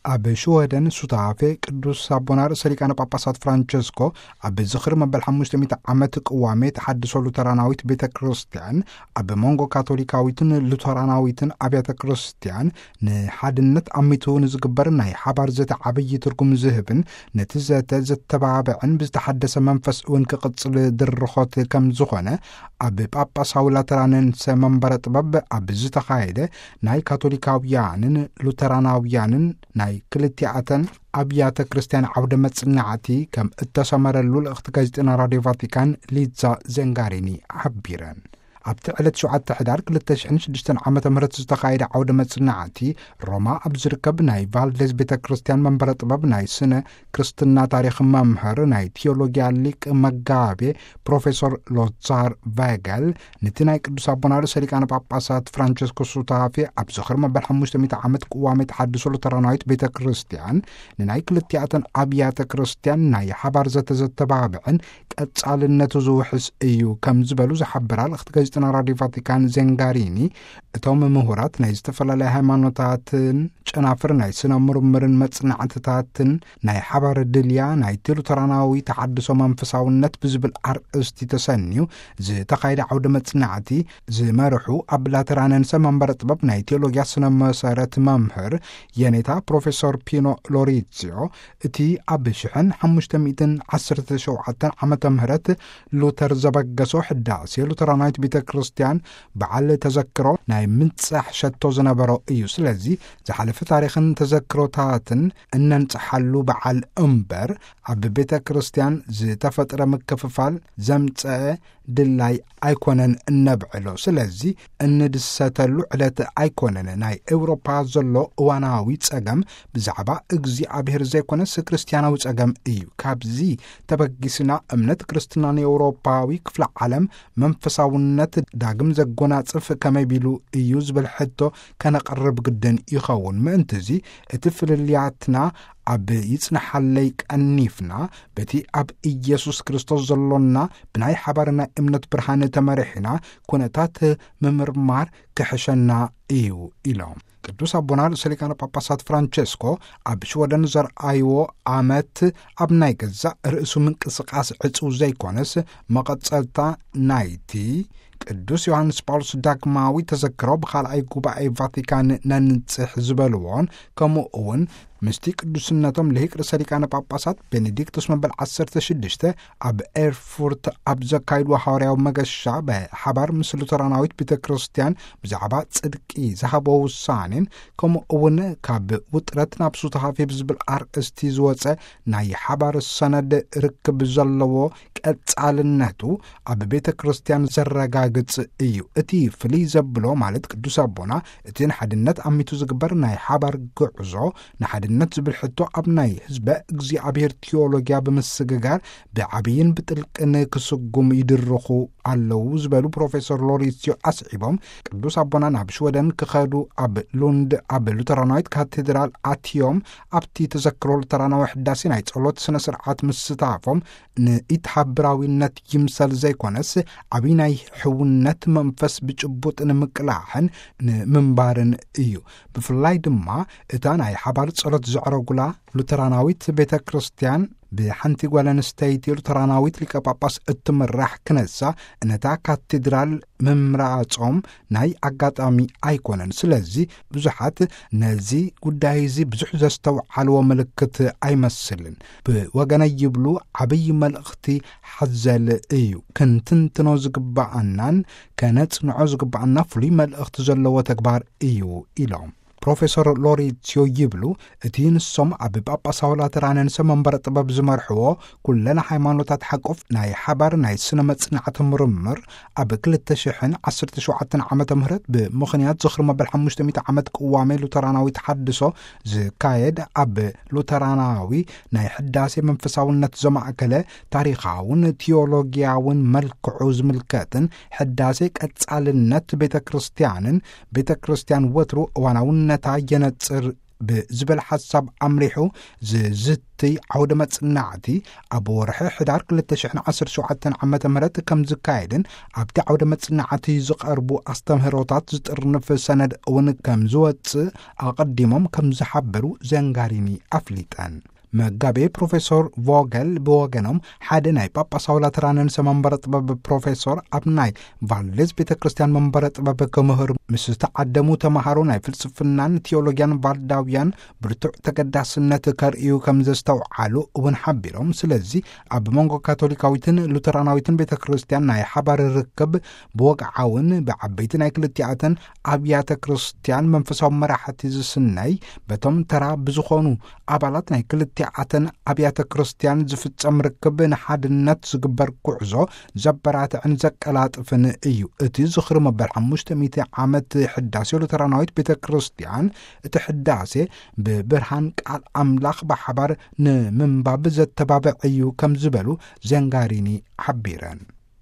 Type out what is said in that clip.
ኣብ ሽወደን ሱታፌ ቅዱስ ኣቦና ርእሰ ሊቃነ ጳጳሳት ፍራንቸስኮ ኣብ ዝኽሪ መበል ሓሙሽተ ሚእቲ ዓመት ቅዋሜ ተሓድሶ ሉተራናዊት ቤተ ክርስቲያን ኣብ መንጎ ካቶሊካዊትን ሉተራናዊትን ኣብያተ ክርስቲያን ንሓድነት ኣሚቱ ንዝግበር ናይ ሓባር ዘተ ዓብዪ ትርጉም ዝህብን ነቲ ዘተ ዘተባብዕን ብዝተሓደሰ መንፈስ እውን ክቕጽል ድርኾት ከም ዝኾነ ኣብ ጳጳሳዊ ላተራንንሰ መንበረ ጥበብ ኣብ ዝተኻየደ ናይ ካቶሊካውያንን ሉተራናውያንን ናይ ክልቲኣተን ኣብያተ ክርስቲያን ዓውደ መጽናዕቲ ከም እተሰመረሉ ልእኽቲ ጋዜጠና ራድዮ ቫቲካን ሊዛ ዘንጋሪኒ ሓቢረን። ኣብቲ ዕለት ሸውዓተ ሕዳር ክልተ ሽሕን ሽዱሽተን ዓመተ ምህረት ዝተኻየደ ዓውደ መጽናዕቲ ሮማ ኣብ ዝርከብ ናይ ቫልዴዝ ቤተ ክርስቲያን መንበረ ጥበብ ናይ ስነ ክርስትና ታሪኽ መምህር ናይ ቴዎሎጊያ ሊቅ መጋቤ ፕሮፌሰር ሎዛር ቫገል ነቲ ናይ ቅዱስ ኣቦና ርእሰ ሊቃነ ጳጳሳት ፍራንቸስኮ ሱታፌ ኣብ ዝኽሪ መበል ሓሙሽተ ሚእቲ ዓመት ቅዋሜ ተሓድሶ ሉተራናዊት ቤተ ክርስቲያን ንናይ ክልቲኣተን ኣብያተ ክርስቲያን ናይ ሓባር ዘተዘተባብዕን ቀጻልነቱ ዝውሕስ እዩ ከም ዝበሉ ዝሓበራ ልእኽቲ ጋዜጠና ራድዮ ቫቲካን ዘንጋሪኒ፣ እቶም ምሁራት ናይ ዝተፈላለያ ሃይማኖታትን ጨናፍር ናይ ስነ ምርምርን መጽናዕትታትን ናይ ሓባር ድልያ ናይቲ ሉተራናዊ ተሓድሶ መንፈሳውነት ብዝብል ኣርእስቲ ተሰንዩ ዝተኻየደ ዓውደ መጽናዕቲ ዝመርሑ ኣብ ላተራነንሰ መንበረ ጥበብ ናይ ቴዎሎጊያ ስነ መሰረት መምህር የኔታ ፕሮፌሰር ፒኖ ሎሪዚዮ እቲ ኣብ ሽሕን ሓሙሽተ ሚእትን ዓሰርተ ሸውዓተን ዓመተ ምህረት ሉተር ዘበገሶ ሕዳሴ ሉተራናዊት ቤተ ክርስቲያን በዓል ተዘክሮ ናይ ምንጻሕ ሸቶ ዝነበሮ እዩ። ስለዚ ዝሓለፈ ታሪኽን ተዘክሮታትን እነንጽሓሉ በዓል እምበር ኣብ ቤተ ክርስቲያን ዝተፈጥረ ምክፍፋል ዘምጸአ ድላይ ኣይኮነን እነብዕሎ። ስለዚ እንድሰተሉ ዕለት ኣይኮነን። ናይ ኤውሮፓ ዘሎ እዋናዊ ጸገም ብዛዕባ እግዚኣብሔር ዘይኮነስ ክርስትያናዊ ጸገም እዩ። ካብዚ ተበጊስና እምነት ክርስትና ንኤውሮፓዊ ክፍለ ዓለም መንፈሳውነት ዳግም ዘጎናጽፍ ከመይ ቢሉ እዩ ዝብል ሕቶ ከነቕርብ ግድን ይኸውን። ምእንትዚ እቲ ፍልልያትና ኣብ ይጽንሓለይ ቀኒፍና በቲ ኣብ ኢየሱስ ክርስቶስ ዘሎና ብናይ ሓባር ናይ እምነት ብርሃን ተመሪሕና ኩነታት ምምርማር ክሕሸና እዩ ኢሎም። ቅዱስ ኣቦና ርእሰ ሊቃነ ጳጳሳት ፍራንቸስኮ ኣብ ሽወደን ዘርኣይዎ ኣመት ኣብ ናይ ገዛእ ርእሱ ምንቅስቃስ ዕጹው ዘይኮነስ መቐጸልታ ናይቲ ቅዱስ ዮሃንስ ጳውሎስ ዳግማዊ ተዘክሮ ብኻልኣይ ጉባኤ ቫቲካን ነንጽሕ ዝበልዎን ከምኡ እውን ምስቲ ቅዱስነቶም ልሂቅ ርእሰ ሊቃነ ጳጳሳት ቤኔዲክቶስ መበል ዓሰርተ ሽዱሽተ ኣብ ኤርፉርት ኣብ ዘካይድዎ ሓዋርያዊ መገሻ ብሓባር ምስ ሉተራናዊት ቤተ ክርስቲያን ብዛዕባ ጽድቂ ዝሃቦ ውሳኔን ከምኡ እውን ካብ ውጥረት ናብ ሱታፌ ብዝብል ኣርእስቲ ዝወጸ ናይ ሓባር ሰነድ ርክብ ዘለዎ ቀጻልነቱ ኣብ ቤተ ክርስቲያን ዘረጋግጽ እዩ። እቲ ፍልይ ዘብሎ ማለት ቅዱስ ኣቦና እቲ ንሓድነት ኣሚቱ ዝግበር ናይ ሓባር ጉዕዞ ንሓድነት ዝብል ሕቶ ኣብ ናይ ህዝበ እግዚኣብሔር ቴዎሎጊያ ብምስግጋር ብዓብይን ብጥልቅን ክስጉም ይድርኹ ኣለዉ ዝበሉ ፕሮፌሰር ሎሪሲዮ ኣስዒቦም ቅዱስ ኣቦና ናብ ሽወደን ክኸዱ ኣብ ሉንድ ኣብ ሉተራናዊት ካቴድራል ኣትዮም ኣብቲ ተዘክሮ ሉተራናዊ ሕዳሴ ናይ ጸሎት ስነ ስርዓት ምስታፎም ንኢትሓብራዊነት ይምሰል ዘይኮነስ ዓብይ ናይ ሕውነት መንፈስ ብጭቡጥ ንምቅላሕን ንምንባርን እዩ። ብፍላይ ድማ እታ ናይ ሓባር ጸሎት ዘዕረጉላ ሉተራናዊት ቤተ ክርስቲያን ብሓንቲ ጓል ኣንስተይቲ ሉተራናዊት ሊቀ ጳጳስ እትምራሕ ክነሳ ነታ ካቴድራል ምምራጾም ናይ ኣጋጣሚ ኣይኮነን። ስለዚ ብዙሓት ነዚ ጉዳይ እዚ ብዙሕ ዘስተውዓልዎ ምልክት ኣይመስልን። ብወገነይ ይብሉ ዓብይ መልእኽቲ ሓዘል እዩ። ክንትንትኖ ዝግባኣናን ከነጽንዖ ዝግባኣና ፍሉይ መልእኽቲ ዘለዎ ተግባር እዩ ኢሎም። ፕሮፌሰር ሎሪሲዮ ይብሉ እቲ ንሶም ኣብ ጳጳሳዊ ላተራንንሰ መንበረ ጥበብ ዝመርሕዎ ኩለን ሃይማኖታት ሓቆፍ ናይ ሓባር ናይ ስነ መጽናዕቲ ምርምር ኣብ ክልተ ሽሕን ዓሰርተ ሸውዓተን ዓመተ ምህረት ብምኽንያት ዝኽሪ መበል ሓሙሽተ ሚእቲ ዓመት ቅዋሜ ሉተራናዊ ተሓድሶ ዝካየድ ኣብ ሉተራናዊ ናይ ሕዳሴ መንፈሳውነት ዘማእከለ ታሪኻውን ቲዮሎጊያውን መልክዑ ዝምልከትን ሕዳሴ ቀጻልነት ቤተ ክርስቲያንን ቤተ ክርስቲያን ወትሩ እዋናውነታ የነጽር ብዝበል ሓሳብ ኣምሪሑ ዝዝትይ ዓውደ መጽናዕቲ ኣብ ወርሒ ሕዳር ክልተ ሽሕን ዓሰርተ ሸውዓተን ዓመተ ምህረት ከም ዝካየድን ኣብቲ ዓውደ መጽናዕቲ ዝቐርቡ ኣስተምህሮታት ዝጥርንፍ ሰነድ እውን ከም ዝወጽእ ኣቐዲሞም ከም ዝሓበሩ ዘንጋሪኒ ኣፍሊጠን። መጋቤ ፕሮፌሰር ቮገል ብወገኖም ሓደ ናይ ጳጳሳዊ ላተራን ርእሰ መንበረ ጥበብ ፕሮፌሰር ኣብ ናይ ቫልዴዝ ቤተ ክርስቲያን መንበረ ጥበብ ክምህር ምስ ዝተዓደሙ ተምሃሮ ናይ ፍልስፍናን ቴዎሎጊያን ቫልዳውያን ብርቱዕ ተገዳስነት ከርእዩ ከም ዘስተውዓሉ እውን ሓቢሮም። ስለዚ ኣብ መንጎ ካቶሊካዊትን ሉተራናዊትን ቤተ ክርስቲያን ናይ ሓባር ርክብ ብወግዓውን ብዓበይቲ ናይ ክልቲኣተን ኣብያተ ክርስቲያን መንፈሳዊ መራሕቲ ዝስነይ በቶም ተራ ብዝኾኑ ኣባላት ናይ ክልቲኣተን ኣብያተ ክርስቲያን ዝፍጸም ርክብ ንሓድነት ዝግበር ጉዕዞ ዘበራትዕን ዘቀላጥፍን እዩ። እቲ ዝኽሪ መበል ሓሙሽተ ሚእቲ ዓመት ሕዳሴ ሉተራናዊት ቤተ ክርስቲያን እቲ ሕዳሴ ብብርሃን ቃል ኣምላኽ ብሓባር ንምንባብ ዘተባብዕ እዩ ከም ዝበሉ ዘንጋሪኒ ሓቢረን።